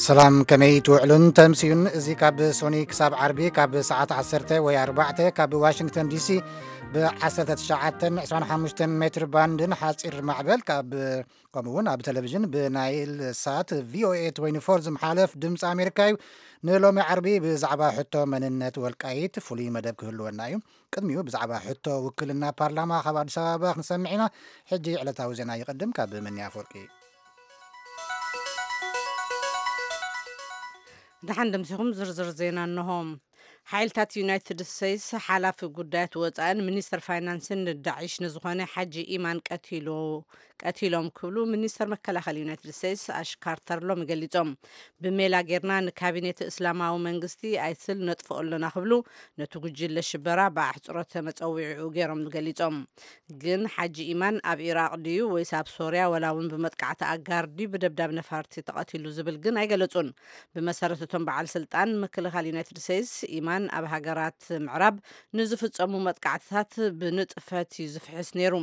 ሰላም፣ ከመይ ትውዕሉን ተምስዩን? እዚ ካብ ሶኒ ክሳብ ዓርቢ ካብ ሰዓት ዓሰርተ ወይ ኣርባዕተ ካብ ዋሽንግተን ዲሲ ብ1925 ሜትር ባንድን ሓፂር ማዕበል ካብ፣ ከምኡ እውን ኣብ ቴሌቪዥን ብናይል ሳት ቪኦኤ 24 ዝመሓለፍ ድምፂ ኣሜሪካ እዩ። ንሎሚ ዓርቢ ብዛዕባ ሕቶ መንነት ወልቃይት ፍሉይ መደብ ክህልወና እዩ። ቅድሚኡ ብዛዕባ ሕቶ ውክልና ፓርላማ ካብ ኣዲስ ኣበባ ክንሰምዕ ኢና። ሕጂ ዕለታዊ ዜና ይቕድም ካብ መኒ ኣፈወርቂ። ደሓን ደምሲኹም ዝርዝር ዜና እንሆ። ሓይልታት ዩናይትድ ስቴትስ ሓላፊ ጉዳያት ወፃእን ሚኒስተር ፋይናንስን ንዳዒሽ ንዝኾነ ሓጂ ኢማን ቀቲሉ ቀቲሎም ክብሉ ሚኒስተር መከላኸሊ ዩናይትድ ስቴትስ ኣሽ ካርተር ሎሚ ገሊጾም። ብሜላ ጌርና ንካቢኔት እስላማዊ መንግስቲ ኣይስል ነጥፍኦ ኣለና ክብሉ ነቲ ጉጅለ ሽበራ ብኣሕጽሮተ መጸዊዒኡ ገይሮም ገሊጾም። ግን ሓጂ ኢማን ኣብ ኢራቕ ድዩ ወይስ ኣብ ሶርያ ወላ እውን ብመጥቃዕቲ ኣጋር ድዩ ብደብዳብ ነፋርቲ ተቐቲሉ ዝብል ግን ኣይገለጹን። ብመሰረት እቶም በዓል ስልጣን ምክልኻል ዩናይትድ ስቴትስ፣ ኢማን ኣብ ሃገራት ምዕራብ ንዝፍጸሙ መጥቃዕትታት ብንጥፈት እዩ ዝፍሕስ ነይሩ።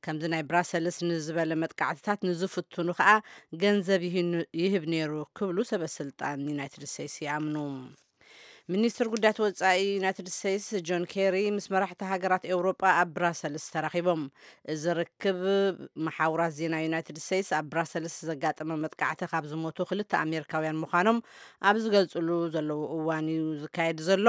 ከምዚ ናይ ብራሰልስ ንዝበለ መጥቃዕትታት ንዝፍትኑ ከኣ ገንዘብ ይህኑ- ይህብ ነይሩ ክብሉ ሰበ ስልጣን ዩናይትድ ስቴትስ ይኣምኑ። ሚኒስትር ጉዳያት ወጻኢ ዩናይትድ ስቴትስ ጆን ኬሪ ምስ መራሕቲ ሃገራት ኤውሮጳ ኣብ ብራሰልስ ተራኺቦም። እዚ ርክብ መሓውራት ዜና ዩናይትድ ስቴትስ ኣብ ብራሰልስ ዘጋጠመ መጥቃዕቲ ካብ ዝሞቱ ክልተ ኣሜሪካውያን ምዃኖም ኣብ ዝገልጽሉ ዘለዉ እዋን እዩ ዝካየድ ዘሎ።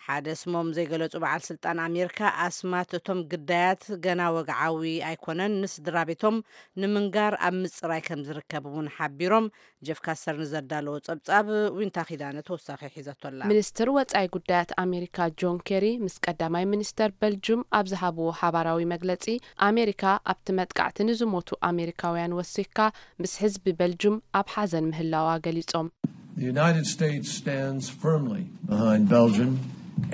ሓደ ስሞም ዘይገለጹ በዓል ስልጣን ኣሜሪካ፣ ኣስማት እቶም ግዳያት ገና ወግዓዊ ኣይኮነን፣ ንስድራ ቤቶም ንምንጋር ኣብ ምጽራይ ከም ዝርከብ እውን ሓቢሮም። ጀፍ ካስተር ንዘዳለዎ ጸብጻብ ዊንታ ኪዳነ ተወሳኺ ሒዛቶ ኣላ። ሚኒስትር ወጻኢ ጉዳያት ኣሜሪካ ጆን ኬሪ ምስ ቀዳማይ ሚኒስተር በልጁም ኣብ ዝሃብዎ ሓባራዊ መግለጺ፣ ኣሜሪካ ኣብቲ መጥቃዕቲ ንዝሞቱ ኣሜሪካውያን ወሲኽካ ምስ ህዝቢ በልጁም ኣብ ሓዘን ምህላዋ ገሊጾም። The United States stands firmly behind Belgium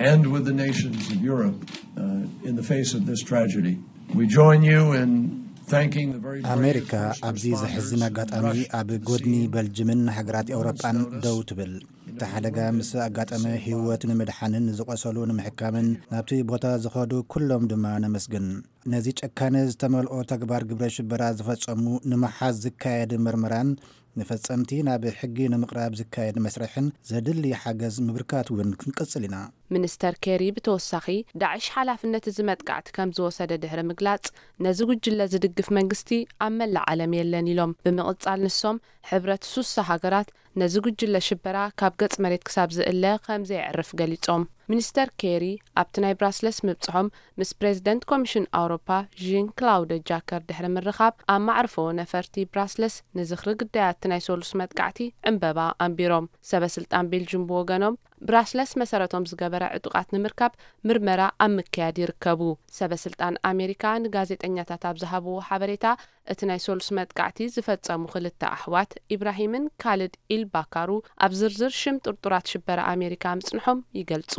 and with the nations of Europe uh, in the face of this tragedy. We join you in thanking the very brave ኣሜሪካ first ኣብዚ responders ዘሕዝን and ኣጋጣሚ Russia ኣብ to ጎድኒ see በልጅምን ሃገራት ኤውሮጳን ደው ትብል። እቲ ሓደጋ ምስ ኣጋጠመ ህይወት ንምድሓንን ዝቆሰሉ ንምሕካምን ናብቲ ቦታ ዝኸዱ ኩሎም ድማ ነመስግን። ነዚ ጨካነ ዝተመልኦ ተግባር ግብረ ሽበራ ዝፈጸሙ ንምሓዝ ዝካየድ ምርመራን ንፈጸምቲ ናብ ሕጊ ንምቕራብ ዝካየድ መስርሕን ዘድሊ ሓገዝ ምብርካት እውን ክንቅጽል ኢና። ሚኒስተር ኬሪ ብተወሳኺ፣ ዳዕሽ ሓላፍነት እዚ መጥቃዕቲ ከም ዝወሰደ ድሕሪ ምግላጽ፣ ነዚ ጉጅለ ዝድግፍ መንግስቲ ኣብ መላእ ዓለም የለን ኢሎም። ብምቕጻል ንሶም፣ ሕብረት ሱሳ ሃገራት ነዚ ጉጅለ ሽበራ ካብ ገጽ መሬት ክሳብ ዝእለ ከም ዘየዕርፍ ገሊጾም። ሚኒስተር ኬሪ ኣብቲ ናይ ብራስለስ ምብጽሖም ምስ ፕሬዚደንት ኮሚሽን ኣውሮፓ ዢን ክላውደ ጃከር ድሕሪ ምርኻብ፣ ኣብ ማዕርፎ ነፈርቲ ብራስለስ ንዝኽሪ ግዳያት ናይ ሶሉስ መጥቃዕቲ ዕምበባ ኣንቢሮም። ሰበ ስልጣን ቤልጅም ብወገኖም፣ ብራስለስ መሰረቶም ዝገበረ ዕጡቓት ንምርካብ ምርመራ ኣብ ምክያድ ይርከቡ። ሰበ ስልጣን ኣሜሪካ ንጋዜጠኛታት ኣብ ዝሃብዎ ሓበሬታ፣ እቲ ናይ ሶሉስ መጥቃዕቲ ዝፈጸሙ ክልተ ኣሕዋት፣ ኢብራሂምን ካልድ ኢልባካሩ፣ ኣብ ዝርዝር ሽም ጥርጡራት ሽበራ ኣሜሪካ ምጽንሖም ይገልጹ።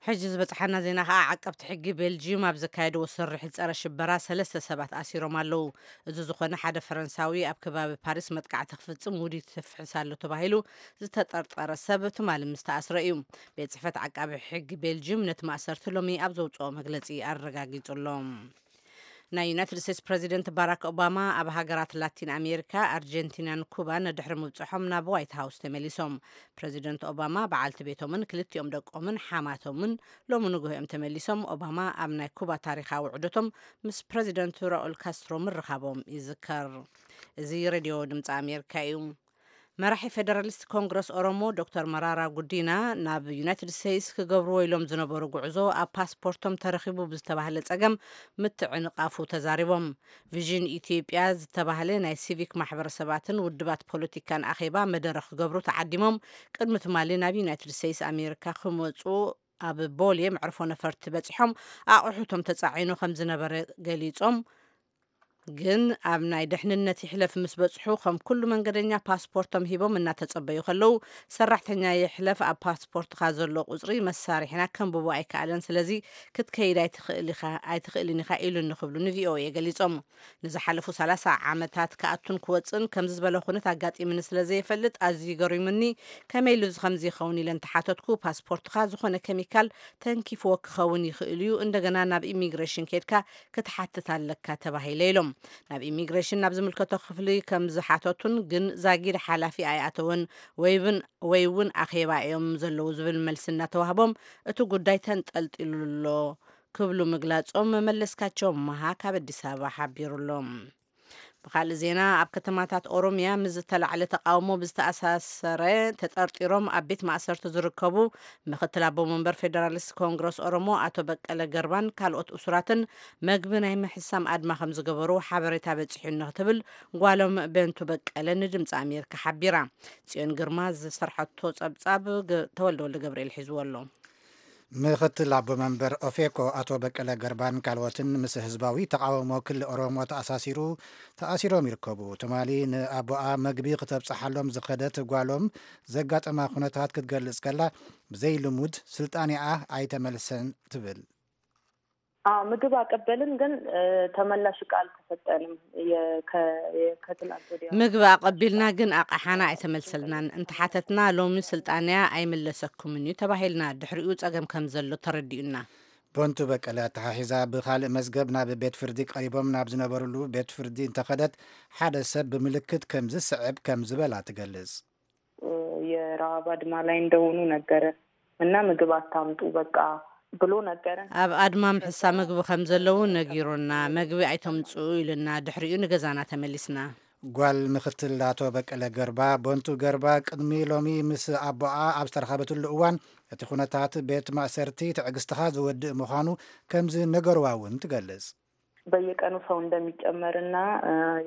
ሕጂ ዝበጽሓና ዜና ከኣ፣ ዓቀብቲ ሕጊ ቤልጂዩም ኣብ ዘካየድዎ ስርሒት ጸረ ሽበራ ሰለስተ ሰባት ኣሲሮም ኣለዉ። እዚ ዝኾነ፣ ሓደ ፈረንሳዊ ኣብ ከባቢ ፓሪስ መጥቃዕቲ ክፍጽም ውዲት ተፍሕስ ኣሎ ተባሂሉ ዝተጠርጠረ ሰብ ትማሊ ምስ ተኣስረ እዩ። ቤት ጽሕፈት ዓቃቢ ሕጊ ቤልጂዩም ነቲ ማእሰርቲ ሎሚ ኣብ ዘውጽኦ መግለጺ ኣረጋጊጹ ኣሎ። ናይ ዩናይትድ ስቴትስ ፕረዚደንት ባራክ ኦባማ ኣብ ሃገራት ላቲን ኣሜሪካ፣ ኣርጀንቲናን ኩባን ድሕሪ ምብጽሖም ናብ ዋይት ሃውስ ተመሊሶም። ፕረዚደንት ኦባማ፣ በዓልቲ ቤቶምን ክልቲኦም ደቆምን ሓማቶምን ሎሚ ንግሆ እዮም ተመሊሶም። ኦባማ ኣብ ናይ ኩባ ታሪኻዊ ዑደቶም ምስ ፕረዚደንት ራኡል ካስትሮ ምርኻቦም ይዝከር። እዚ ሬድዮ ድምፂ ኣሜሪካ እዩ። መራሒ ፌደራሊስት ኮንግረስ ኦሮሞ ዶክተር መራራ ጉዲና፣ ናብ ዩናይትድ ስቴትስ ክገብርዎ ኢሎም ዝነበሩ ጉዕዞ ኣብ ፓስፖርቶም ተረኺቡ ብዝተባህለ ጸገም ምትዕንቓፉ ተዛሪቦም። ቪዥን ኢትዮጵያ ዝተባህለ ናይ ሲቪክ ማሕበረሰባትን ውድባት ፖለቲካን ኣኼባ መደረ ክገብሩ ተዓዲሞም ቅድሚ ትማሊ ናብ ዩናይትድ ስቴትስ ኣሜሪካ ክመጹ ኣብ ቦሌ መዕርፎ ነፈርቲ በጺሖም ኣቑሑቶም ተጻዒኑ ከም ዝነበረ ገሊጾም፣ ግን ኣብ ናይ ደሕንነት ይሕለፍ ምስ በጽሑ፣ ከም ኩሉ መንገደኛ ፓስፖርቶም ሂቦም እናተጸበዩ ከለዉ፣ ሰራሕተኛ ይሕለፍ ኣብ ፓስፖርትኻ ዘሎ ቁጽሪ መሳርሒና ከንብቦ ኣይከኣለን፣ ስለዚ ክትከይድ ኣይትኽእል ኢኻ፣ ኣይትኽእልን ኢኻ ኢሉኒ ክብሉ ንቪኦኤ ገሊጾም። ንዝሓለፉ ሰላሳ ዓመታት ክኣቱን ክወጽእን ከምዚ ዝበለ ኩነት ኣጋጢምኒ ስለ ዘይፈልጥ ኣዝዩ ገሪሙኒ፣ ከመይ ኢሉ እዚ ከምዚ ይኸውን ኢለ እንተሓተትኩ፣ ፓስፖርትኻ ዝኾነ ኬሚካል ተንኪፍዎ ክኸውን ይኽእል እዩ፣ እንደገና ናብ ኢሚግሬሽን ኬድካ ክትሓትት ኣለካ ተባሂለ ኢሎም። ናብ ኢሚግሬሽን ናብ ዝምልከቶ ክፍሊ ከም ዝሓተቱን ግን ዛጊድ ሓላፊ ኣይኣተወን ወይ እውን ኣኼባ እዮም ዘለዉ ዝብል መልሲ እናተዋህቦም እቲ ጉዳይ ተንጠልጢሉ ኣሎ ክብሉ ምግላጾም መለስካቸው መሃ ካብ ኣዲስ ኣበባ ሓቢሩ ኣሎ። ብኻልእ ዜና፣ ኣብ ከተማታት ኦሮሚያ ምስ ዝተላዕለ ተቃውሞ ብዝተኣሳሰረ ተጠርጢሮም ኣብ ቤት ማእሰርቲ ዝርከቡ ምክትል ኣቦ መንበር ፌደራሊስት ኮንግረስ ኦሮሞ ኣቶ በቀለ ገርባን ካልኦት እሱራትን መግቢ ናይ ምሕሳም ኣድማ ከም ዝገበሩ ሓበሬታ በጺሑኒ ክትብል ጓሎም በንቱ በቀለ ንድምፂ ኣሜሪካ ሓቢራ። ጽዮን ግርማ ዝሰርሐቶ ጸብጻብ ገ- ተወልደ ወልደ ገብርኤል ሒዝዎ ኣሎ። ምኽትል ኣቦ መንበር ኦፌኮ ኣቶ በቀለ ገርባን ካልኦትን ምስ ህዝባዊ ተቃውሞ ክሊ ኦሮሞ ተኣሳሲሩ ተኣሲሮም ይርከቡ። ትማሊ ንኣቦኣ መግቢ ክተብጽሓሎም ዝኸደት ጓሎም ዘጋጠማ ኩነታት ክትገልጽ ከላ፣ ብዘይ ልሙድ ስልጣኔኣ ኣይተመልሰን ትብል። አዎ፣ ምግብ አቀበልን፣ ግን ተመላሽ እቃ አልተሰጠንም። ከትላንት ወዲያ ምግቢ ኣቐቢልና ግን ኣቕሓና ኣይተመልሰልናን። እንተሓተትና ሎሚ ስልጣንያ ኣይምለሰኩምን እዩ ተባሂልና። ድሕሪኡ ጸገም ከም ዘሎ ተረዲኡና። ቦንቱ በቀለ ኣተሓሒዛ ብኻልእ መዝገብ ናብ ቤት ፍርዲ ቀሪቦም ናብ ዝነበርሉ ቤት ፍርዲ እንተኸደት ሓደ ሰብ ብምልክት ከም ዝስዕብ ከም ዝበላ ትገልጽ። የረሃብ አድማ ላይ እንደሆኑ ነገረ እና ምግብ አታምጡ በቃ ብሎ ነገረን። ኣብ ኣድማ ምሕሳ ምግቢ ከም ዘለዉ ነጊሩና። መግቢ ኣይተምጽኡ ኢሉና። ድሕሪኡ ንገዛና ተመሊስና። ጓል ምኽትል ኣቶ በቀለ ገርባ ቦንቱ ገርባ ቅድሚ ሎሚ ምስ ኣቦኣ ኣብ ዝተረኸበትሉ እዋን እቲ ኩነታት ቤት ማእሰርቲ ትዕግስትኻ ዝወድእ ምዃኑ ከም ዝነገርዋ እውን ትገልጽ። በየቀኑ ሰው እንደሚጨመርና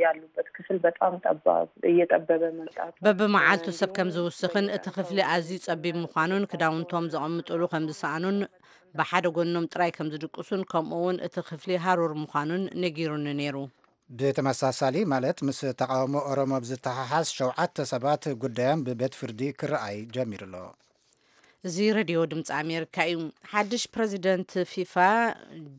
ያሉበት ክፍል በጣም ጠባብ እየጠበበ መምጣቱ በብመዓልቱ ሰብ ከም ዝውስኽን እቲ ክፍሊ ኣዝዩ ጸቢብ ምዃኑን ክዳውንቶም ዘቐምጥሉ ከም ዝሰኣኑን ብሓደ ጎኖም ጥራይ ከም ዝድቅሱን ከምኡ እውን እቲ ክፍሊ ሃሩር ምዃኑን ነጊሩኒ ነይሩ። ብተመሳሳሊ ማለት ምስ ተቃውሞ ኦሮሞ ብዝተሓሓዝ ሸውዓተ ሰባት ጉዳዮም ብቤት ፍርዲ ክረኣይ ጀሚሩ ኣሎ። እዚ ሬድዮ ድምፂ ኣሜሪካ እዩ። ሓድሽ ፕረዚደንት ፊፋ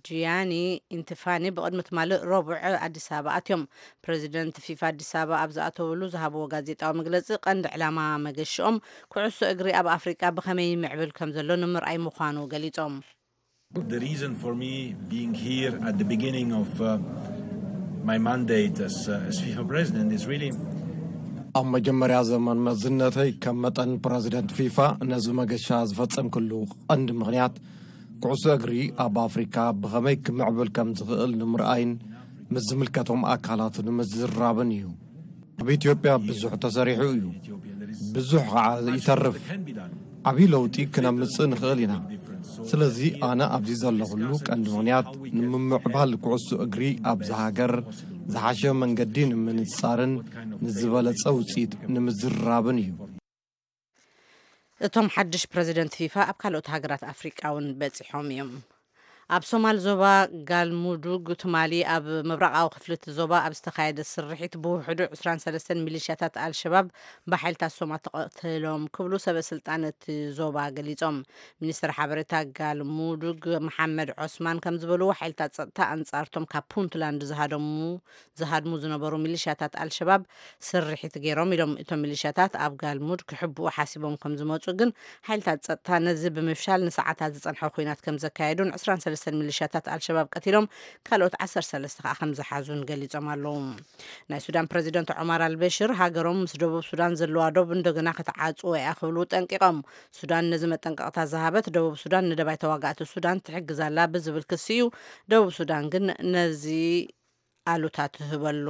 ጂያኒ ኢንቲፋኒ ብቕድሚ ትማሊ ረቡዕ ኣዲስ ኣበባ ኣትዮም። ፕረዚደንት ፊፋ ኣዲስ ኣበባ ኣብ ዝኣተውሉ ዝሃብዎ ጋዜጣዊ መግለፂ ቀንዲ ዕላማ መገሽኦም ኩዕሶ እግሪ ኣብ ኣፍሪቃ ብኸመይ ይምዕብል ከም ዘሎ ንምርኣይ ምዃኑ ገሊፆም። The reason for me being here at the beginning of uh, my mandate as, uh, as FIFA president is really ኣብ መጀመርያ ዘመን መዝነተይ ከም መጠን ፕረዚደንት ፊፋ ነዚ መገሻ ዝፈጸምክሉ ቀንዲ ምኽንያት ኩዕሶ እግሪ ኣብ ኣፍሪካ ብኸመይ ክምዕብል ከም ዝኽእል ንምርኣይን ምስ ዝምልከቶም ኣካላት ንምዝራብን እዩ። ኣብ ኢትዮጵያ ብዙሕ ተሰሪሑ እዩ። ብዙሕ ከዓ ይተርፍ። ዓብዪ ለውጢ ክነምጽእ ንኽእል ኢና። ስለዚ ኣነ ኣብዚ ዘለኹሉ ቀንዲ ምኽንያት ንምምዕባል ኩዕሶ እግሪ ኣብዛ ሃገር ዝሓሸ መንገዲ ንምንጻርን ንዝበለጸ ውፅኢት ንምዝራብን እዩ። እቶም ሓድሽ ፕረዚደንት ፊፋ ኣብ ካልኦት ሃገራት ኣፍሪቃ እውን በጺሖም እዮም። ኣብ ሶማል ዞባ ጋልሙዱግ ትማሊ ኣብ ምብራቓዊ ክፍሊ እቲ ዞባ ኣብ ዝተኻየደ ስርሒት ብውሕዱ ዕስራን ሰለስተን ሚሊሽያታት ኣልሸባብ ብሓይልታት ሶማል ተቐተሎም ክብሉ ሰበ ስልጣን እቲ ዞባ ገሊጾም። ሚኒስትር ሓበሬታ ጋልሙዱግ መሓመድ ዖስማን ከም ዝበልዎ ሓይልታት ጸጥታ ኣንጻርቶም ካብ ፑንትላንድ ዝሃደሙ ዝሃድሙ ዝነበሩ ሚሊሽያታት ኣልሸባብ ስርሒት ገይሮም ኢሎም። እቶም ሚሊሽያታት ኣብ ጋልሙድ ክሕብኡ ሓሲቦም ከም ዝመጹ ግን ሓይልታት ጸጥታ ነዚ ብምፍሻል ንሰዓታት ዝጸንሐ ኲናት ከም ዘካየዱን ዕስራን ሰለስተን ሚሊሽያታት ኣልሸባብ ቀቲሎም ካልኦት ዓሰርተ ሰለስተ ከዓ ከም ዝሓዙን ገሊጾም ኣለዉ። ናይ ሱዳን ፕረዚደንት ዑማር ኣልበሽር ሃገሮም ምስ ደቡብ ሱዳን ዘለዋ ዶብ እንደገና ክትዓጽዎ እያ ክብሉ ጠንቂቖም። ሱዳን ነዚ መጠንቀቕታ ዝሃበት ደቡብ ሱዳን ንደባይ ተዋጋእቲ ሱዳን ትሕግዝ ኣላ ብዝብል ክሲ እዩ። ደቡብ ሱዳን ግን ነዚ ኣሉታ ትህበሉ።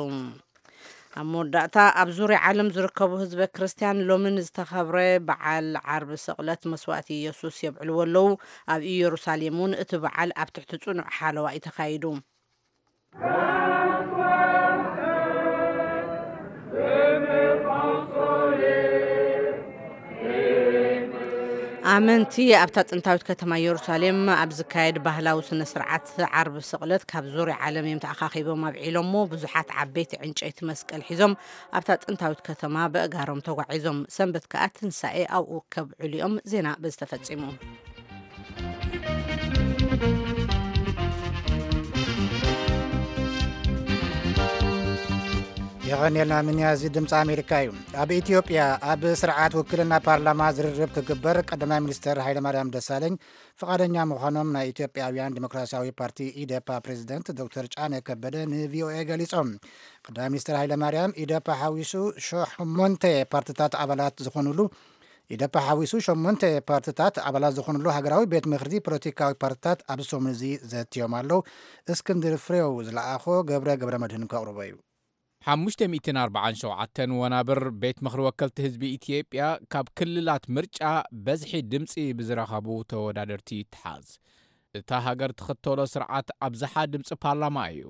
ኣብ መወዳእታ ኣብ ዙርያ ዓለም ዝርከቡ ህዝበ ክርስትያን ሎሚ ንዝተኸብረ በዓል ዓርቢ ስቕለት መስዋእቲ ኢየሱስ የብዕልዎ ኣለዉ። ኣብ ኢየሩሳሌም እውን እቲ በዓል ኣብ ትሕቲ ጽኑዕ ሓለዋ እዩ ተኻይዱ። ኣመንቲ ኣብታ ጥንታዊት ከተማ ኢየሩሳሌም ኣብ ዝካየድ ባህላዊ ስነ ስርዓት ዓርቢ ስቕለት ካብ ዙርያ ዓለም እዮም ተኣኻኺቦም ኣብዒሎሞ። ብዙሓት ዓበይቲ ዕንጨይቲ መስቀል ሒዞም ኣብታ ጥንታዊት ከተማ በእጋሮም ተጓዒዞም። ሰንበት ከኣ ትንሳኤ ኣብኡ ከብዕሉ እዮም። ዜና በዚ ተፈጺሙ። ተቐኒልና ምንያ፣ እዚ ድምፂ ኣሜሪካ እዩ። ኣብ ኢትዮጵያ ኣብ ስርዓት ውክልና ፓርላማ ዝርርብ ክግበር ቀዳማይ ሚኒስትር ሃይለማርያም ደሳለኝ ፍቓደኛ ምዃኖም ናይ ኢትዮጵያውያን ዲሞክራሲያዊ ፓርቲ ኢዴፓ ፕሬዚደንት ዶክተር ጫኔ ከበደ ንቪኦኤ ገሊጾም። ቀዳማይ ሚኒስትር ሃይለማርያም ኢዴፓ ሓዊሱ ሸሞንተ ፓርትታት ኣባላት ዝኾኑሉ ኢዴፓ ሓዊሱ ሸሞንተ ፓርትታት ኣባላት ዝኾኑሉ ሃገራዊ ቤት ምኽሪ ፖለቲካዊ ፓርትታት ኣብዚ ሰሙን እዚ ዘትዮም ኣለዉ። እስክንድር ፍሬው ዝለኣኾ ገብረ ገብረ መድህን ከቕርቦ እዩ። ሓሙሽተ ሚእትን ኣርባዓን ሸውዓተን ወናብር ቤት ምኽሪ ወከልቲ ህዝቢ ኢትዮጵያ ካብ ክልላት ምርጫ በዝሒ ድምፂ ብዝረኸቡ ተወዳደርቲ ይተሓዝ። እታ ሃገር ትኽተሎ ስርዓት ኣብዝሓ ድምፂ ፓርላማ እዩ።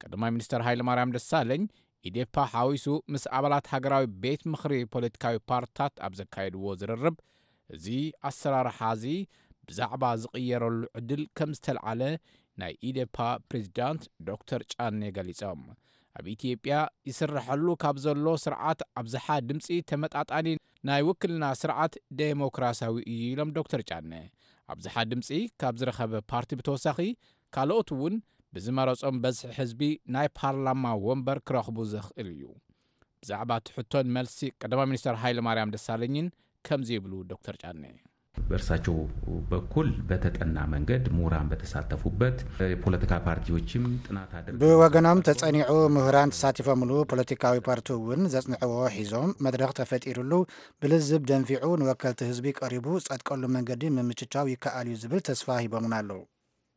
ቀዳማይ ሚኒስትር ሃይለማርያም ደሳለኝ ኢዴፓ ሓዊሱ ምስ ኣባላት ሃገራዊ ቤት ምኽሪ ፖለቲካዊ ፓርትታት ኣብ ዘካየድዎ ዝርርብ፣ እዚ ኣሰራርሓ እዚ ብዛዕባ ዝቕየረሉ ዕድል ከም ዝተልዓለ ናይ ኢዴፓ ፕሬዚዳንት ዶክተር ጫኔ ገሊጾም። ኣብ ኢትዮጵያ ይስረሐሉ ካብ ዘሎ ስርዓት ኣብዝሓ ድምፂ ተመጣጣኒ ናይ ውክልና ስርዓት ዴሞክራሲያዊ እዩ ኢሎም ዶክተር ጫኔ። ኣብዝሓ ድምፂ ካብ ዝረኸበ ፓርቲ ብተወሳኺ ካልኦት እውን ብዝመረጾም በዝሒ ህዝቢ ናይ ፓርላማ ወንበር ክረኽቡ ዘኽእል እዩ። ብዛዕባ እቲ ሕቶን መልሲ ቀዳማይ ሚኒስትር ሃይለ ማርያም ደሳለኝን ከምዚ ይብሉ ዶክተር ጫኔ። በእርሳቸው በኩል በተጠና መንገድ ምሁራን በተሳተፉበት የፖለቲካ ፓርቲዎችም ጥናት አድርገው ብወገኖም ተጸኒዑ ምሁራን ተሳቲፎምሉ ፖለቲካዊ ፓርቲ እውን ዘጽንዕዎ ሒዞም መድረኽ ተፈጢሩሉ ብልዝብ ደንፊዑ ንወከልቲ ህዝቢ ቀሪቡ ጸድቀሉ መንገዲ ምምችቻው ይከኣል እዩ ዝብል ተስፋ ሂቦምና ኣለዉ።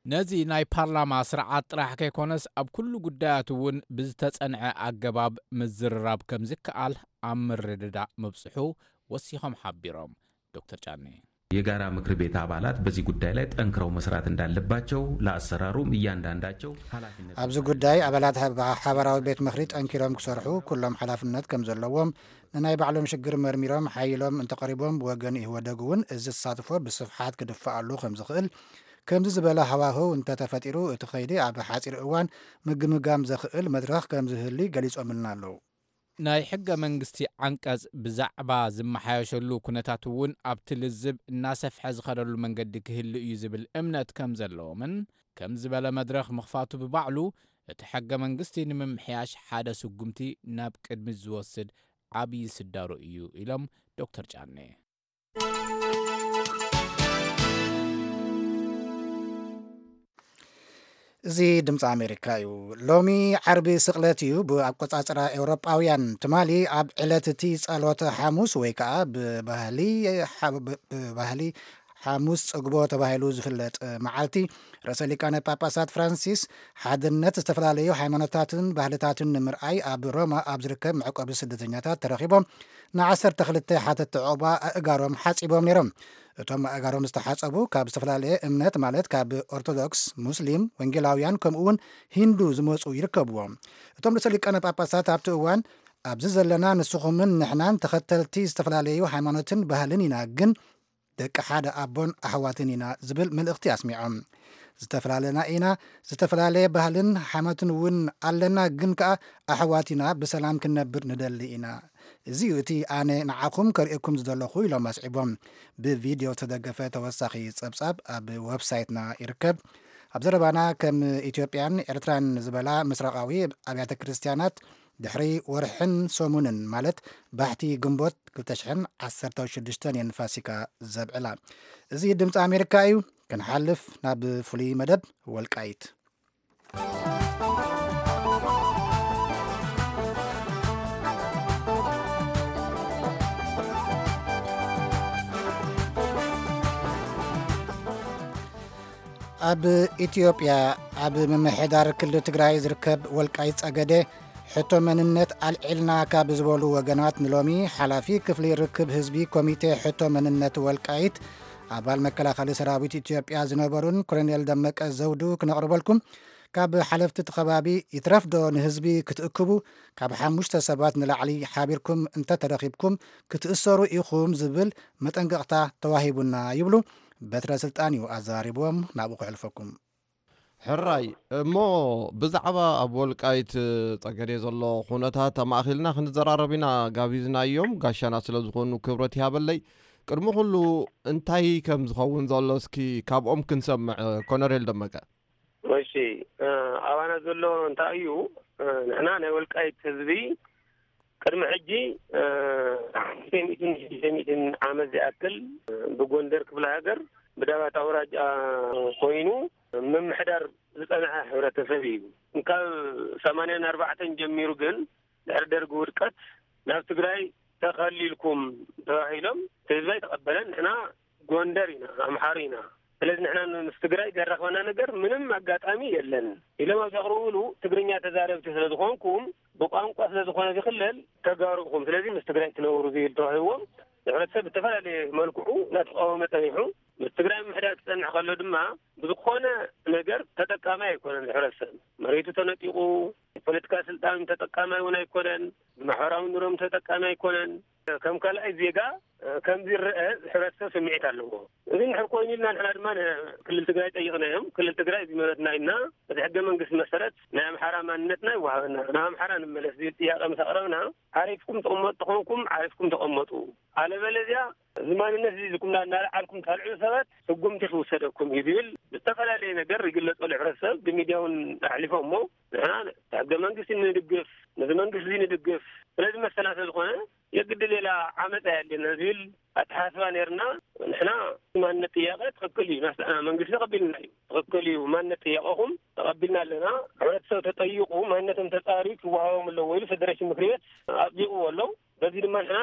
ነዚ ናይ ፓርላማ ስርዓት ጥራሕ ከይኮነስ ኣብ ኩሉ ጉዳያት እውን ብዝተጸንዐ ኣገባብ ምዝርራብ ከምዝከኣል ኣብ ምርድዳእ ምብጽሑ ወሲኾም ሓቢሮም ዶክተር ጫኔ። የጋራ ምክር ቤት አባላት በዚህ ጉዳይ ላይ ጠንክረው መስራት እንዳለባቸው ለአሰራሩም እያንዳንዳቸው ኃላፊነት ኣብዚ ጉዳይ ኣባላት ሓበ- ሓበራዊ ቤት ምኽሪ ጠንኪሮም ክሰርሑ ኩሎም ሓላፍነት ከም ዘለዎም ንናይ ባዕሎም ሽግር መርሚሮም ሓይሎም እንተቐሪቦም ብወገን ኢህወደግ እውን እዚ ተሳትፎ ብስፍሓት ክድፍኣሉ ከም ዝኽእል ከምዚ ዝበለ ሃዋህው እንተተፈጢሩ እቲ ኸይዲ ኣብ ሓፂር እዋን ምግምጋም ዘኽእል መድረኽ ከም ዝህሊ ገሊፆምልና ኣለዉ። ናይ ሕገ መንግስቲ ዓንቀጽ ብዛዕባ ዝመሓየሸሉ ኩነታት እውን ኣብቲ ልዝብ እናሰፍሐ ዝኸደሉ መንገዲ ክህሉ እዩ ዝብል እምነት ከም ዘለዎምን ከም ዝበለ መድረኽ ምኽፋቱ ብባዕሉ እቲ ሕገ መንግስቲ ንምምሕያሽ ሓደ ስጉምቲ ናብ ቅድሚት ዝወስድ ዓብዪ ስዳሩ እዩ ኢሎም ዶክተር ጫኔ። እዚ ድምፂ ኣሜሪካ እዩ። ሎሚ ዓርቢ ስቕለት እዩ ብኣቆፃፅራ ኤውሮጳውያን። ትማሊ ኣብ ዕለት እቲ ጸሎተ ሓሙስ ወይ ከዓ ብባህሊ ሓ- ብ- ብባህሊ ሓሙስ ጽግቦ ተባሂሉ ዝፍለጥ መዓልቲ ርእሰ ሊቃነ ጳጳሳት ፍራንሲስ ሓድነት ዝተፈላለዩ ሃይማኖታትን ባህልታትን ንምርኣይ ኣብ ሮማ ኣብ ዝርከብ መዕቆቢ ስደተኛታት ተረኺቦም ንዓሰርተ ክልተ ሓተትቲ ዑቕባ ኣእጋሮም ሓጺቦም ነይሮም። እቶም ኣእጋሮም ዝተሓጸቡ ካብ ዝተፈላለየ እምነት ማለት ካብ ኦርቶዶክስ፣ ሙስሊም፣ ወንጌላውያን ከምኡ እውን ሂንዱ ዝመጹ ይርከብዎም። እቶም ርእሰ ሊቃነ ጳጳሳት ኣብቲ እዋን ኣብዚ ዘለና ንስኹምን ንሕናን ተኸተልቲ ዝተፈላለዩ ሃይማኖትን ባህልን ኢና፣ ግን ደቂ ሓደ ኣቦን ኣሕዋትን ኢና ዝብል መልእኽቲ ኣስሚዖም። ዝተፈላለና ኢና፣ ዝተፈላለየ ባህልን ሃይማኖትን እውን ኣለና፣ ግን ከኣ ኣሕዋት ኢና፣ ብሰላም ክንነብር ንደሊ ኢና። እዚ እዩ እቲ ኣነ ንዓኹም ከርእየኩም ዝደለኹ ኢሎም ኣስዒቦም። ብቪድዮ ዝተደገፈ ተወሳኺ ጸብጻብ ኣብ ወብሳይትና ይርከብ። ኣብ ዘረባና ከም ኢትዮጵያን ኤርትራን ዝበላ ምስራቓዊ ኣብያተ ክርስትያናት ድሕሪ ወርሕን ሰሙንን ማለት ባሕቲ ግንቦት ክልተ ሽሕን ዓሰርተ ሽዱሽተን እየን ፋሲካ ዘብዕላ። እዚ ድምፂ ኣሜሪካ እዩ። ክንሓልፍ ናብ ፍሉይ መደብ ወልቃይት። ኣብ ኢትዮጵያ ኣብ ምምሕዳር ክልል ትግራይ ዝርከብ ወልቃይት ጸገዴ ሕቶ መንነት ኣልዒልና ካብ ዝበሉ ወገናት ንሎሚ ሓላፊ ክፍሊ ርክብ ህዝቢ ኮሚቴ ሕቶ መንነት ወልቃይት ኣባል መከላኸሊ ሰራዊት ኢትዮጵያ ዝነበሩን ኮሎኔል ደመቀ ዘውዱ ክነቕርበልኩም ካብ ሓለፍቲ እቲ ከባቢ ይትረፍዶ ንህዝቢ ክትእክቡ ካብ ሓሙሽተ ሰባት ንላዕሊ ሓቢርኩም እንተተረኺብኩም ክትእሰሩ ኢኹም ዝብል መጠንቀቕታ ተዋሂቡና ይብሉ። በትረ ስልጣን እዩ ኣዘራሪብዎም ናብኡ ክሕልፈኩም። ሕራይ እሞ ብዛዕባ ኣብ ወልቃይት ጸገዴ ዘሎ ኩነታት ኣማእኺልና ክንዘራረብ ኢና ጋቢዝናዮም። ጋሻና ስለ ዝኾኑ ክብረት ይሃበለይ። ቅድሚ ኩሉ እንታይ ከም ዝኸውን ዘሎ እስኪ ካብኦም ክንሰምዕ ኮነሬል ደመቀ። እሺ፣ ኣባና ዘሎ እንታይ እዩ? ንሕና ናይ ወልቃይት ህዝቢ ቅድሚ ሕጂ ሓሙሽተ ሚእትን ሽዱሽተ ሚእትን ዓመት ዝኣክል ብጎንደር ክፍለ ሃገር ብዳባት ኣውራጃ ኮይኑ ምምሕዳር ዝጸንሐ ሕብረተሰብ እዩ። ካብ ሰማንያን ኣርባዕተን ጀሚሩ ግን ድሕሪ ደርጊ ውድቀት ናብ ትግራይ ተኸሊልኩም ተባሂሎም ህዝቢ ኣይተቐበለን። ንሕና ጎንደር ኢና፣ ኣምሓሩ ኢና። ስለዚ ንሕና ምስ ትግራይ ዘራኽበና ነገር ምንም ኣጋጣሚ የለን ኢሎም ኣብ ዘቕርብሉ ትግርኛ ተዛረብቲ ስለ ዝኾንኩም ብቋንቋ ስለ ዝኾነ ዝኽለል ተጋሩ ኢኹም። ስለዚ ምስ ትግራይ ትነብሩ ዝብል ተዋሂዎም ንሕብረተሰብ ብዝተፈላለየ መልክዑ እናተቃወመ ጸኒሑ ምስ ትግራይ ምምሕዳር ክጸንሕ ከሎ ድማ ብዝኾነ ነገር ተጠቃማይ ኣይኮነን። ሕብረተሰብ መሬቱ ተነጢቑ ፖለቲካ ስልጣን ተጠቃማይ እውን ኣይኮነን። ማሕበራዊ ኑሮም ተጠቃሚ ኣይኮነን። ከም ካልኣይ ዜጋ ከም ዝረአ ሕብረተሰብ ስምዒት ኣለዎ። እዚ ንሕር ኮይኑ ኢልና ንሕና ድማ ክልል ትግራይ ጠይቕናዮም። ክልል ትግራይ እዚ መረትና ኢልና በቲ ሕገ መንግስቲ መሰረት ናይ ኣምሓራ ማንነትና ይወሃበና፣ ናብ ኣምሓራ ንመለስ ዝብል ጥያቄ ምስ ኣቕረብና ዓሪፍኩም ተቐመጡ ተኾንኩም ዓሪፍኩም ተቐመጡ፣ ኣለበለዚያ እዚ ማንነት እዚ ዝኩምና እናለዓልኩም ታልዕሉ ሰባት ስጉምቲ ክውሰደኩም እዩ ዝብል ብዝተፈላለየ ነገር ይግለጸሉ። ሕብረተሰብ ብሚድያ እውን ኣሕሊፎ እሞ ንሕና ሕገ መንግስቲ ንድግፍ፣ ነዚ መንግስቲ እዚ ንድግፍ፣ ስለዚ መሰና ስለዝኾነ የግድ ሌላ ዓመፅ ኣየድልየና ዝብል ኣተሓሳስባ ነርና። ንሕና ማንነት ጥያቄ ትኽክል እዩ፣ መንግስቲ ተቐቢልና እዩ፣ ትኽክል እዩ፣ ማንነት ጥያቄኹም ተቐቢልና ኣለና። ሕብረተሰብ ተጠይቁ ማንነቶም ተፃርዩ ክወሃቦም ኣለዎ ኢሉ ፌደሬሽን ምክሪ ቤት ኣፅዲቕዎ ኣሎ። በዚ ድማ ንሕና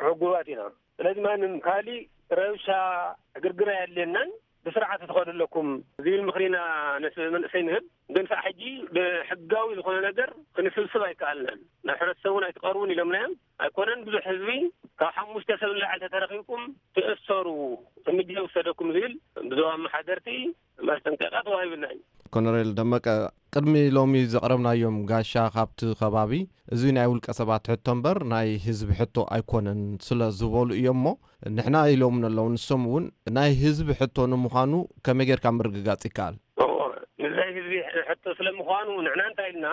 ሕጉባት ኢና። ስለዚ ማንም ካሊእ ረብሻ ዕግርግር ኣየድልየናን፣ ብስርዓት ትኸዱ ኣለኩም ዝብል ምክሪና ነቲ መንእሰይ ንህብ። ግን ከዓ ሕጂ ብሕጋዊ ዝኾነ ነገር ክንስብስብ ኣይከኣልናን። ናብ ሕብረተሰብ እውን ኣይትቐርቡን ኢሎምናዮም። ኣይኮነን ብዙሕ ህዝቢ ካብ ሓሙሽተ ሰብ ንላዕሊ ተተረኺብኩም ትእሰሩ፣ እርምጃ ይውሰደኩም ዝብል ብዞባ ኣመሓደርቲ ማስጠንቀቂያ ተዋሂብና እዩ። ኮነሬል ደመቀ፣ ቅድሚ ሎሚ ዘቕረብናዮም ጋሻ ካብቲ ከባቢ እዚ ናይ ውልቀ ሰባት ሕቶ እምበር ናይ ህዝቢ ሕቶ ኣይኮነን ስለ ዝበሉ እዮም እሞ ንሕና ኢሎም ኣለዉ። ንሶም እውን ናይ ህዝቢ ሕቶ ንምዃኑ ከመይ ጌርካ ምርግጋጽ ይከኣል? እዎ፣ ንናይ ህዝቢ ሕቶ ስለ ምዃኑ ንሕና እንታይ ኢልና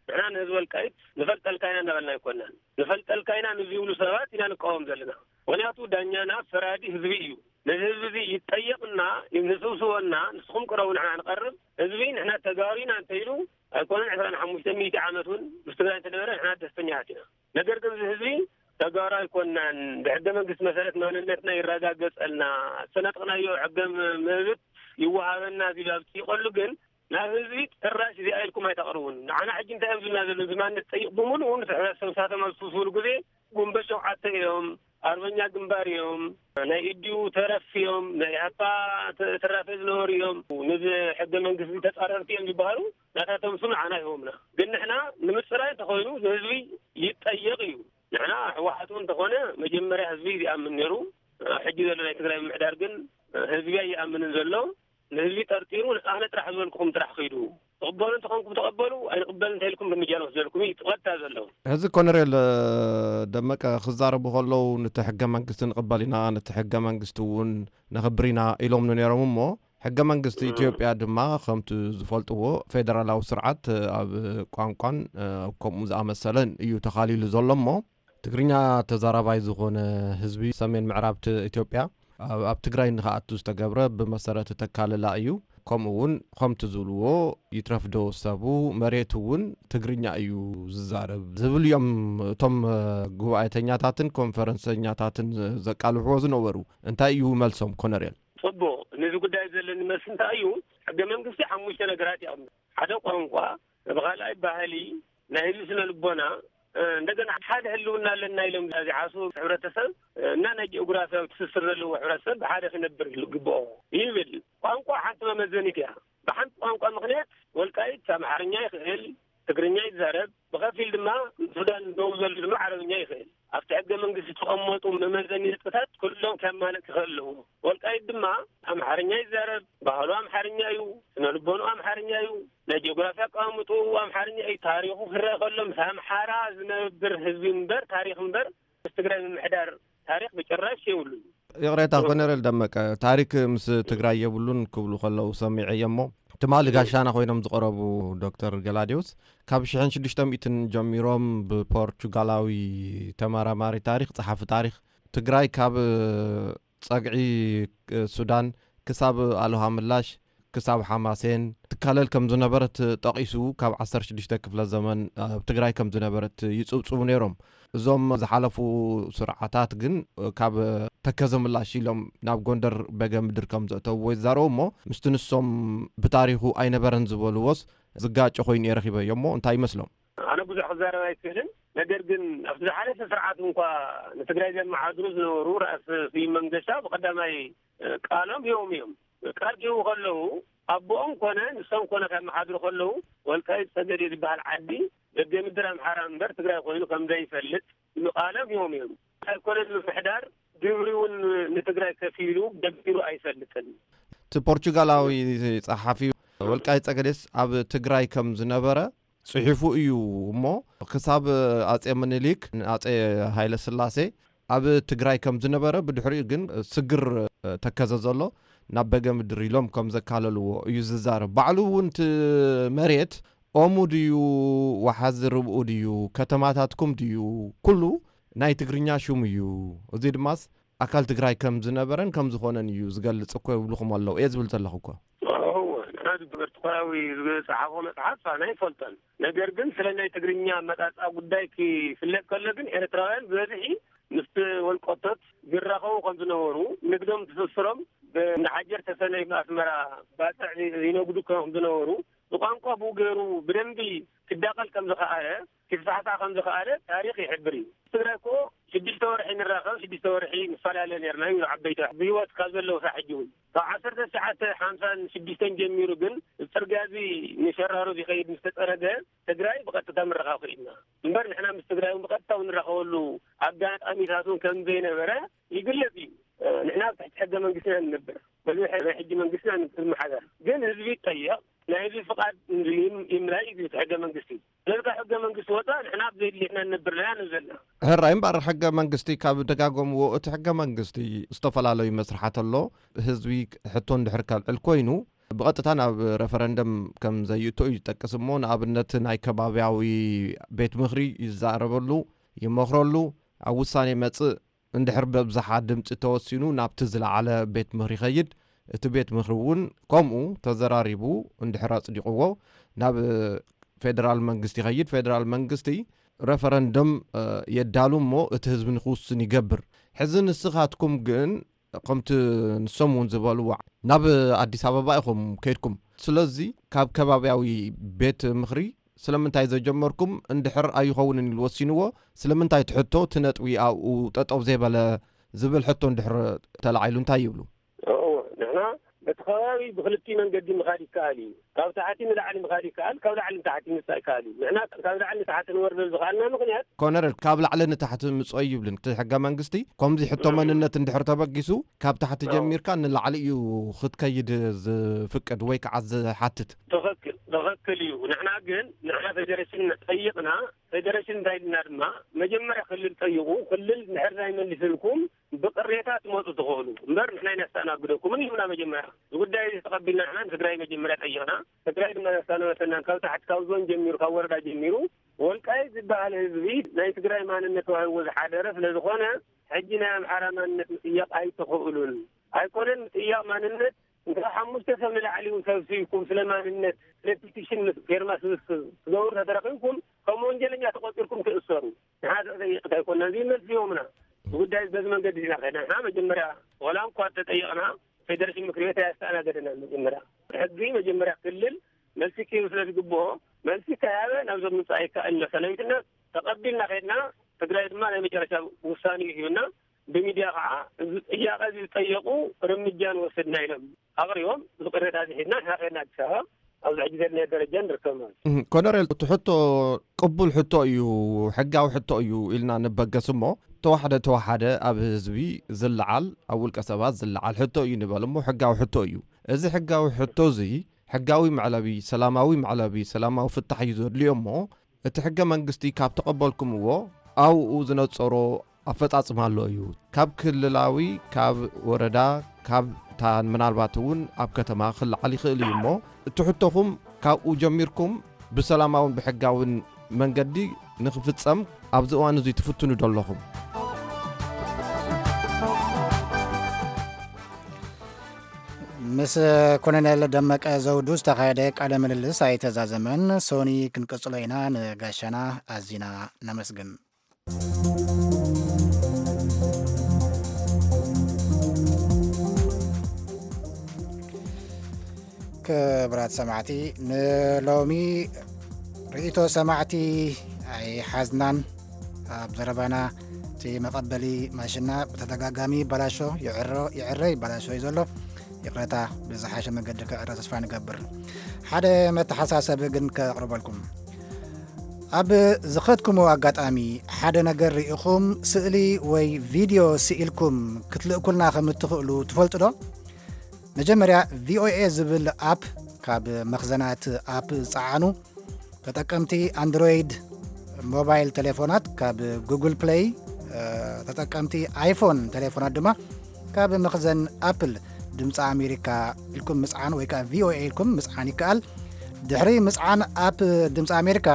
ንሕና ንህዝቢ ወልቃይት ንፈልጠልካ ኢና እናበልና ኣይኮናን። ንፈልጠልካ ኢና ንዝብሉ ሰባት ኢና ንቃወም ዘለና። ምኽንያቱ ዳኛና ፈራዲ ህዝቢ እዩ። ነዚ ህዝቢ እዚ ይጠየቕና፣ ንስብስቦና፣ ንስኹም ቅረቡ ንሕና ንቐርብ። ህዝቢ ንሕና ተጋሩ ኢና እንተኢሉ ኣይኮነን ዕስራን ሓሙሽተ ሚእቲ ዓመት እውን ምስ ትግራይ እንተነበረ ንሕና ደስተኛታት ኢና። ነገር ግን እዚ ህዝቢ ተጋሩ ኣይኮናን፣ ብሕገ መንግስቲ መሰረት ማንነትና ይረጋገጸልና፣ ዝተነጠቕናዮ ሕገ መብት ይወሃበና ዝብል ኣብ ዝጥይቐሉ ግን ናብ ህዝቢ ጭራሽ እዚኣ ኢልኩም ኣይተቕርቡን። ንዓና ሕጂ እንታይ እዮም ዝብልና ዘለዉ? እዚ ማንነት ጠይቕ ብምሉኡ ምስ ሕብረተሰብ ንሳቶም ኣብ ዝስብስብሉ ግዜ ጉንበት ሸውዓተ እዮም፣ ኣርበኛ ግንባር እዮም፣ ናይ ኢዲዩ ተረፍ እዮም፣ ናይ ኢህኣፓ ተ-፣ ተራፊ ዝነበሩ እዮም፣ ንዚ ሕገ መንግስቲ ተጻረርቲ እዮም ዝበሃሉ ናታቶም ስም ንዓና ይህቦምና። ግን ንሕና ንምጽራይ እንተኾይኑ ንህዝቢ ይጠየቕ እዩ። ንሕና ህወሓት እውን እንተኾነ መጀመርያ ህዝቢ ይኣምን ነይሩ። ሕጂ ዘሎ ናይ ትግራይ ምምሕዳር ግን ህዝቢ ኣይኣምንን ዘሎ። ንህዝቢ ጠርጢሩ ኣነ ጥራሕ ዝበልኩኹም ጥራሕ ኺዱ። ትቕበሉ እንተኾንኩም ተቐበሉ፣ ኣይንቕበል እንተኢልኩም እርምጃ ንወስደልኩም እዩ እቲ ቀጥታ ዘሎ። ሕዚ ኮነሬል ደመቀ ክዛረቡ ከለዉ ነቲ ሕገ መንግስቲ ንቕበል ኢና፣ ነቲ ሕገ መንግስቲ እውን ነኽብር ኢና ኢሎም ነይሮም እሞ ሕገ መንግስቲ ኢትዮጵያ ድማ ከምቲ ዝፈልጥዎ ፌደራላዊ ስርዓት ኣብ ቋንቋን ከምኡ ዝኣመሰለን እዩ ተኻሊሉ ዘሎ እሞ ትግርኛ ተዛራባይ ዝኾነ ህዝቢ ሰሜን ምዕራብ ት-፣ ኢትዮጵያ ኣብ፣ ኣብ ትግራይ ንኽኣቱ ዝተገብረ ብመሰረት ተካልላ እዩ። ከምኡ እውን ከምቲ ዝብልዎ ይትረፍዶ ሰቡ መሬት እውን ትግርኛ እዩ ዝዛረብ ዝብል እዮም እቶም፣ እ፣ ጉባኤተኛታትን ኮንፈረንሰኛታትን ዘቃልሕዎ ዝነበሩ። እንታይ እዩ መልሶም ኮነሬል? ጽቡቕ፣ ነዚ ጉዳይ ዘለኒ መልሲ እንታይ እዩ? ሕገ መንግስቲ ሓሙሽተ ነገራት ይቐምጥ። ሓደ ቋንቋ፣ ብኻልኣይ ባህሊ፣ ናይ ህዝቢ ስነ ልቦና፣ እ፣ እንደገና ሓደ ህልውና ኣለና ኢሎም ዝሓስቡ ሕብረተሰብ፣ እ፣ እና ናይ ጂኦግራፊያዊ ትስስር ዘለዎ ሕብረተሰብ ብሓደ ክነብር ይግብኦ ይብል። ቋንቋ ሓንቲ መመዘኒት እያ። ብሓንቲ ቋንቋ ምኽንያት ወልቃይት ኣምሓርኛ ይኽእል፣ ትግርኛ ይዛረብ፣ ብኸፊል ድማ ሱዳን ደቡብ ዘሎ ድማ ዓረብኛ ይኽእል። ኣብቲ ሕገ መንግስቲ ዝተቐመጡ መመዘኒ ነጥብታት ኩሎም ከማልእ ክኽእል ኣለዎ። ወልቃይት ድማ ኣምሓርኛ ይዛረብ፣ ባህሉ ኣምሓርኛ እዩ፣ ስነ ልቦንኡ ኣምሓርኛ እዩ፣ ናይ ጂኦግራፊ ኣቀማምጥኡ ኣምሓርኛ እዩ። ታሪኹ ክረአ ከሎ ምስ ኣምሓራ ዝነብር ህዝቢ እምበር ታሪኽ እምበር ምስ ትግራይ ምምሕዳር ታሪኽ ብጭራሽ የብሉን። ይቕሬታ ኮነሬል ደመቀ፣ ታሪክ ምስ ትግራይ የብሉን ክብሉ ከለዉ ሰሚዐ እየ እሞ ትማሊ ጋሻና ኮይኖም ዝቐረቡ ዶክተር ገላዲዮስ ካብ ሽሕን ሽዱሽተ ሚእትን ጀሚሮም ብፖርቹጋላዊ ተመራማሪ ታሪክ፣ ጸሓፊ ታሪክ ትግራይ ካብ ጸግዒ ሱዳን ክሳብ ኣልሃ ምላሽ ክሳብ ሓማሴን ትካለል ከም ዝነበረት ጠቒሱ፣ ካብ ዓሰርተ ሽዱሽተ ክፍለ ዘመን ኣብ ትግራይ ከም ዝነበረት ይጽብጽቡ ነይሮም። እዞም ዝሓለፉ ስርዓታት ግን ካብ ተከዘ ምላሽ ኢሎም ናብ ጎንደር በገ ምድር ከም ዘእተውዎ ይዛረቡ እሞ፣ ምስቲ ንሶም ብታሪኹ ኣይነበረን ዝበልዎስ ዝጋጨ ኮይኑ እየ ረኺበዮ እሞ፣ እንታይ ይመስሎም? ኣነ ብዙሕ ክዛረብ ኣይክእልን። ነገር ግን ኣብቲ ዝሓለፈ ስርዓት እንኳ ንትግራይ ዘመሓድሩ ዝነበሩ ራእሲ ስዩም መንገሻ ብቐዳማይ ቃሎም ሂቦም እዮም። ቃል ክህቡ ከለዉ ኣቦኦም ኮነ ንሶም ኮነ ከመሓድሩ ከለዉ ወልቃይት ጸገዴ ዝበሃል ዓዲ ደገ ምድር ኣምሓራ እምበር ትግራይ ኮይኑ ከም ዘይፈልጥ ቃሎም ሂቦም እዮም። ኣይኮነን ምምሕዳር ግብሪ እውን ንትግራይ ከፊሉ ገቢሩ ኣይፈልጥን። እቲ ፖርቹጋላዊ ጸሓፊ ወልቃይት ጸገዴስ ኣብ ትግራይ ከም ዝነበረ ጽሒፉ እዩ እሞ፣ ክሳብ ኣጼ ምኒልክ ንኣጼ ሃይለ ስላሴ ኣብ ትግራይ ከም ዝነበረ፣ ብድሕሪኡ ግን ስግር ተከዘ ዘሎ ናብ በገ ምድር ኢሎም ከም ዘካለልዎ እዩ ዝዛረብ። ባዕሉ እውን እቲ መሬት ኦሙ ድዩ፣ ወሓዚ ርብኡ ድዩ፣ ከተማታትኩም ድዩ፣ ኩሉ ናይ ትግርኛ ሽሙ እዩ። እዚ ድማስ ኣካል ትግራይ ከም ዝነበረን ከም ዝኾነን እዩ ዝገልጽ እኮ ይብልኹም ኣለዉ። እየ ዝብል ዘለኹ እኮ። እወ፣ ንሕና ብኤርትራዊ ዝጸሓፎ መጽሓፍ ኣነ ኣይፈልጦን። ነገር ግን ስለ ናይ ትግርኛ ኣመጻጽኣ ጉዳይ ክፍለጥ ከሎ ግን ኤርትራውያን ብበዝሒ ምስ ወልቆቶት ዝራኸቡ ከም ዝነበሩ፣ ንግዶም ትስስሮም ብእንዳ ሓጀር ተሰነይ ብኣስመራ ባጽዕ ይነግዱ ከም ዝነበሩ፣ ብቋንቋ ብኡ ገይሩ ብደንቢ ክዳቐል ከም ዝኸኣለ፣ ክስፋሕፋሕ ከም ዝኸኣለ ታሪኽ ይሕብር እዩ። ትግራይ እኮ ሽዱሽተ ወርሒ ንራኸብ፣ ሽዱሽተ ወርሒ ንፈላለ ነርና ይብሉ ዓበይቲ ብህይወት ካብ ዘለዉ ሳብ ሕጂ እውን። ካብ ዓሰርተ ትሽዓተ ሓምሳን ሽዱሽተን ጀሚሩ ግን፣ እዚ ጽርግያ እዚ ንሸራሮ ዝኸይድ ምስ ተጸረገ፣ ትግራይ ብቐጥታ ምርኻብ ክኢልና። እምበር ንሕና ምስ ትግራይ እውን ብቐጥታ እውን ንራኸበሉ ኣጋጣሚታት እውን ከም ዘይነበረ ይግለጽ እዩ። ንሕና ኣብ ትሕቲ ሕገ መንግስቲ ኢና ንነብር። በዚ ናይ ሕጂ መንግስቲ ኢና ንመሓደር። ግን ህዝቢ ይጠየቕ፣ ናይ ህዝቢ ፍቓድ ይም-፣ ይምላይ እዩ እቲ ሕገ መንግስቲ። ስለዚ ካብ ሕገ መንግስቲ ወፃእ ንሕና ኣብ ዘድልየትና ንነብር ኣለና ንብል ዘለና። ሕራይ እምበኣር፣ ሕገ መንግስቲ ካብ ደጋገምዎ፣ እቲ ሕገ መንግስቲ ዝተፈላለዩ መስርሓት ኣሎ። ህዝቢ ሕቶ እንድሕር ከልዕል ኮይኑ፣ ብቐጥታ ናብ ረፈረንደም ከም ዘዩእቶ እዩ ዝጠቅስ እሞ፣ ንኣብነት ናይ ከባብያዊ ቤት ምኽሪ ይዛረበሉ፣ ይመኽረሉ፣ ኣብ ውሳኔ መጽእ እንድሕር በብዝሓ ድምፂ ተወሲኑ ናብቲ ዝለዓለ ቤት ምኽሪ ይኸይድ። እቲ ቤት ምኽሪ እውን ከምኡ ተዘራሪቡ እንድሕር ኣፅዲቕዎ ናብ ፌደራል መንግስቲ ይኸይድ። ፌደራል መንግስቲ ረፈረንደም፣ እ፣ የዳሉ እሞ እቲ ህዝቢ ንክውስን ይገብር። ሕዚ ንስኻትኩም ግን ከምቲ ንሶም እውን ዝበልዎ ናብ ኣዲስ ኣበባ ኢኹም ከይድኩም። ስለዚ ካብ ከባብያዊ ቤት ምኽሪ ስለምንታይ ዘጀመርኩም፣ እንድሕር ኣይኸውንን ኢሉ ወሲንዎ፣ ስለምንታይ እቲ ሕቶ እቲ ነጥቢ ኣብኡ ጠጠው ዘይበለ ዝብል ሕቶ እንድሕር ተላዒሉ እንታይ ይብሉ? እዎ፣ ንሕና በቲ ከባቢ ብክልቲኡ መንገዲ ምኻድ ይከኣል እዩ። ካብ ታሕቲ ንላዕሊ ምኻድ ይከኣል፣ ካብ ላዕሊ ንታሕቲ ምምፃእ ይከኣል እዩ። ንሕና ካብ ላዕሊ ንታሕቲ ንወርደሉ ዝኸኣልና ምኽንያት ኮነረል፣ ካብ ላዕሊ ንታሕቲ ምፅኦ ይብልን እቲ ሕገ መንግስቲ፣ ከምዚ ሕቶ እም። መንነት እንድሕር ተበጊሱ፣ ካብ ታሕቲ እዎ። ጀሚርካ ንላዕሊ እዩ ክትከይድ ዝፍቅድ ወይ ከዓ ዝሓትት። ትኽክል፣ ትኽክል እዩ። ንሕና ግን፣ ንሕና ፌዴሬሽን ጠይቕና፣ ፌዴሬሽን እንታይ ኢልና ድማ፣ መጀመርያ ክልል ጠይቑ፣ ክልል እንድሕር ዘይመሊስልኩም ብቅሬታ ትመፁ ትኽእሉ። እምበር ንሕና ኢና ነስተኣናግደኩምን ኢሉና መጀመርያ። እዚ ጉዳይ እዚ ተቐቢልና ንሕና ንትግራይ መጀመርያ ጠይቕና። ትግራይ ድማ ዘስተኣናገደትናን ካብ ታሕቲ ካብ ዞን ጀሚሩ፣ ካብ ወረዳ ጀሚሩ፣ ወልቃይት ዝበሃል ህዝቢ ናይ ትግራይ ማንነት ተዋሂብዎ ዝሓደረ ስለ ዝኾነ፣ ሕጂ ናይ ኣምሓራ ማንነት ምጥያቕ ኣይትኽእሉን። ኣይኮነን ምጥያቕ ማንነት፣ እንተ ሓሙሽተ ሰብ ንላዕሊ እውን ሰብሲብኩም ስለ ማንነት፣ ስለ ፒቲሽን ምስ ፌርማ ስብስብ ትገብሩ ተተረኺብኩም፣ ከም ወንጀለኛ ተቖጺርኩም ትእሰሩ። ንሓደ ጠይቕታ ኣይኮንና፣ እዚ መልሲ ሂቦምና። ጉዳይ በዚ መንገዲ ኢና ከይድና። ንሕና መጀመርያ፣ ዋላ እንኳ ተጠይቕና፣ ፌደሬሽን ምክር ቤት ኣየስተኣናገደናን መጀመርያ። ሕጊ መጀመርያ ክልል መልሲ ክህብ ስለ ዝግብኦ፣ መልሲ ከይሃበ ናብዞም ምምፃእ ኣይከኣልን። ሰለሚትና ተቐቢልና ከይድና፣ ትግራይ ድማ ናይ መጨረሻ ውሳኔ ሂብና፣ ብሚድያ ከዓ እዚ ጥያቐ እዚ ዝጠየቑ እርምጃ ንወስድና ኢሎም ኣቕሪቦም፣ እዚ ቅሬታ እዚ ሒዝና ንሕና ከይድና ኣዲስ ኣበባ ኣብዚ ሕጂ ዘለናዮ ደረጃ ንርከብ ማለት እዩ። እህ፣ ኮነሬል፣ እቲ ሕቶ ቅቡል ሕቶ እዩ፣ ሕጋዊ ሕቶ እዩ ኢልና ንበገስ እሞ፣ ተዋሕደ ተዋሓደ ኣብ ህዝቢ ዝለዓል፣ ኣብ ውልቀ ሰባት ዝለዓል ሕቶ እዩ ንበል እሞ፣ ሕጋዊ ሕቶ እዩ። እዚ ሕጋዊ ሕቶ እዚ፣ ሕጋዊ መዕለቢ፣ ሰላማዊ መዕለቢ፣ ሰላማዊ ፍታሕ እዩ ዘድልዮ እሞ፣ እቲ ሕገ መንግስቲ ካብ ተቐበልኩምዎ፣ ኣብኡ ዝነጸሮ ኣፈጻጽማ ኣሎ እዩ። ካብ ክልላዊ፣ ካብ ወረዳ፣ ካብ ታን ምናልባት እውን ኣብ ከተማ ክለዓል ይኽእል እዩ እሞ፣ እቲ ሕቶኹም ካብኡ ጀሚርኩም ብሰላማውን ብሕጋውን መንገዲ ንኽፍጸም ኣብዚ እዋን እዚ ትፍትኑ ዶ ኣለኹም? ምስ ኮሎኔል ደመቀ ዘውዱ ዝተኻየደ ቃለ ምልልስ ኣይተዛዘመን። ሶኒ ክንቅጽሎ ኢና። ንጋሻና ኣዚና ነመስግን። ክብራት ሰማዕቲ፣ ንሎሚ ርእይቶ ሰማዕቲ ኣይሓዝናን። ኣብ ዘረባና እቲ መቐበሊ ማሽና ብተደጋጋሚ ይበላሾ፣ ይዕሮ፣ ይዕረ ይበላሾ እዩ ዘሎ። ይቕረታ፣ ብዝሓሸ መገዲ ክዕረ ተስፋ ንገብር። ሓደ መተሓሳሰቢ ግን ከቕርበልኩም። ኣብ ዝኸድኩምዎ ኣጋጣሚ ሓደ ነገር ርኢኹም፣ ስእሊ ወይ ቪድዮ ስኢልኩም ክትልእኩልና ከም እትኽእሉ ትፈልጡ ዶ? መጀመርያ፣ ቪ ኦ ኤ ዝብል ኣፕ ካብ መኽዘናት ኣፕ ዝጸዓኑ ተጠቀምቲ ኣንድሮይድ ሞባይል ቴሌፎናት ካብ ጉግል ፕለይ፣ እ፣ ተጠቀምቲ ኣይፎን ቴሌፎናት ድማ ካብ መኽዘን ኣፕል ድምፂ ኣሜሪካ ኢልኩም ምፅዓን ወይ ከዓ ቪ ኦ ኤ ኢልኩም ምፅዓን ይከኣል። ድሕሪ ምፅዓን ኣፕ ድምፂ ኣሜሪካ፣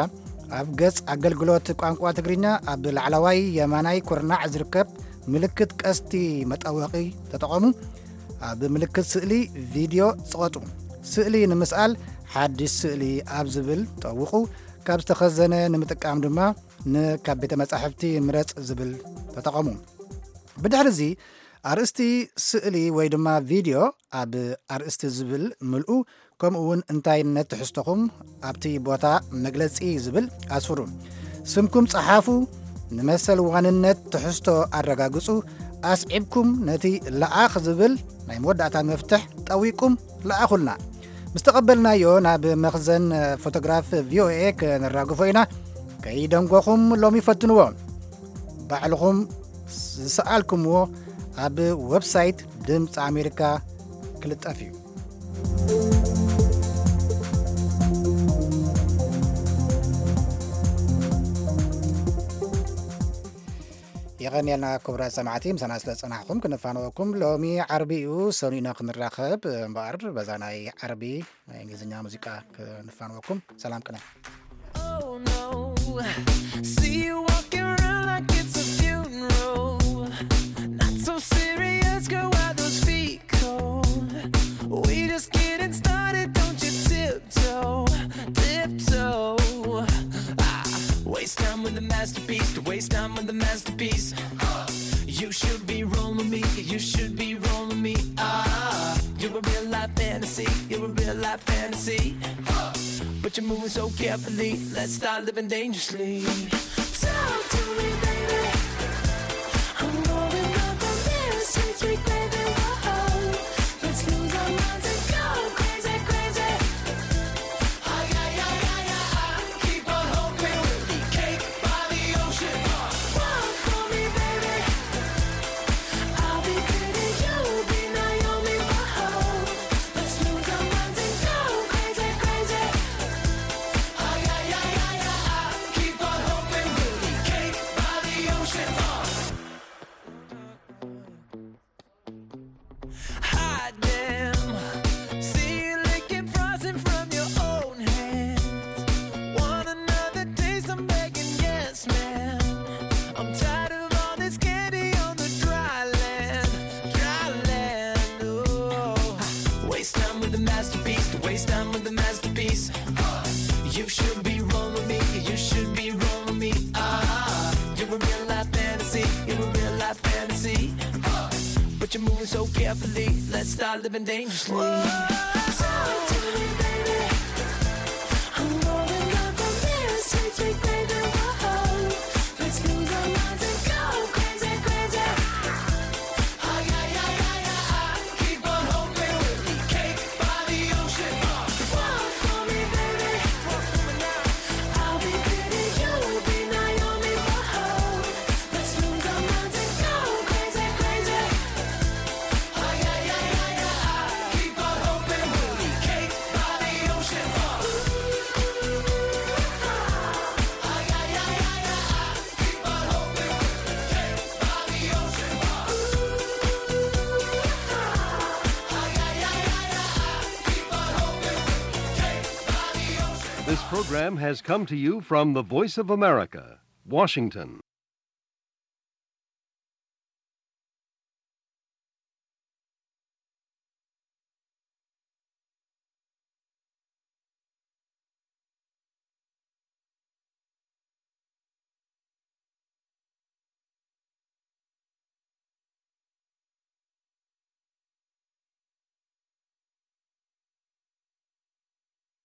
ኣብ ገፅ ኣገልግሎት ቋንቋ ትግርኛ ኣብ ላዕለዋይ የማናይ ኩርናዕ ዝርከብ ምልክት ቀስቲ መጠወቒ ተጠቐሙ። ኣብ ምልክት ስእሊ ቪድዮ ጽቐጡ። ስእሊ ንምስኣል ሓድሽ ስእሊ ኣብ ዝብል ጠውቑ። ካብ ዝተኸዘነ ንምጥቃም ድማ ን ካብ ቤተ መጻሕፍቲ ምረጽ ዝብል ተጠቐሙ። ብድሕሪ እዚ ኣርእስቲ ስእሊ ወይ ድማ ቪድዮ ኣብ ኣርእስቲ ዝብል ምልኡ፣ ከምኡ እውን እንታይነት ትሕዝቶኹም ኣብቲ ቦታ መግለጺ ዝብል ኣስፍሩ። ስምኩም ጸሓፉ። ንመሰል ዋንነት ትሕዝቶ ኣረጋግጹ። ኣስዒብኩም ነቲ ለኣኽ ዝብል ናይ መወዳእታ መፍትሕ ጠዊቁም ለኣኹልና። ምስ ተቐበልናዮ ናብ መኽዘን ፎቶግራፍ ቪ ኦ ኤ ከነራግፎ ኢና። ከይደንጎኹም ሎሚ ፈትንዎ። ባዕልኹም ዝሰኣልኩምዎ ኣብ ዌብሳይት ድምፂ ኣሜሪካ ክልጠፍ እዩ። የቐንየልና ክቡራት ሰማዕቲ፣ ምሳና ስለ ዝጸናሕኩም ክንፋነወኩም። ሎሚ ዓርቢ እዩ፣ ሰኑይ ኢና ክንራኸብ እምበኣር፣ በዛ ናይ ዓርቢ ናይ እንግሊዝኛ ሙዚቃ ክንፋነወኩም። ሰላም ቅነ። Oh no, see you walking around like it's a funeral. Not so serious, girl, why those feet cold? We just getting started, don't you tiptoe, tiptoe. Ah, waste time with the masterpiece, to waste time with the masterpiece. You should be rolling with me, you should be rolling with me. Ah, you're a real life fantasy, you're a real life fantasy. But you're moving so carefully, let's start living dangerously. Talk to me, baby. I'm rolling up on this sweet, sweet baby. Whoa. Let's lose our minds and go crazy, crazy. Ay, ay, ay, ay, ay, ay. Keep on hoping we'll eat cake by the ocean. Walk for me, baby. I'll be pretty, you'll be Naomi. Whoa. Let's lose our minds and go crazy, crazy. Ay, ay, ay, ay, ay, ay. Keep on hoping we'll eat cake by the ocean. Hot damn. See you licking frosting from your own hands. Want another taste? I'm begging, yes, ma'am. I'm tired of all this candy on the dry land, dry land. Oh, waste time with the masterpiece, to waste time with the masterpiece. You should be rolling with me, you should be rolling with me. Ah, you're a real life fantasy, you're a real life fantasy. But you're moving so carefully, let's start living dangerously. Talk to me, baby. I'm rolling up on this sweet, sweet baby. Whoa. Let's lose our minds and go crazy, crazy. Ay, ay, ay, ay, ay, ay. Keep on hoping we'll eat cake by the ocean. Walk for me, baby. Walk for me now. I'll be pretty, you'll be Naomi. Whoa. Let's lose our minds and go crazy, crazy. Ay, ay, ay, ay, ay, ay. Keep on hoping we'll eat cake by the ocean. Ay, ay, ay, ay, ay, ay. Keep on hoping we'll eat cake by the ocean. Ay, ay, ay, ay, ay, ay. Keep on hoping we'll eat cake by the ocean. This program has come to you from the Voice of America, Washington.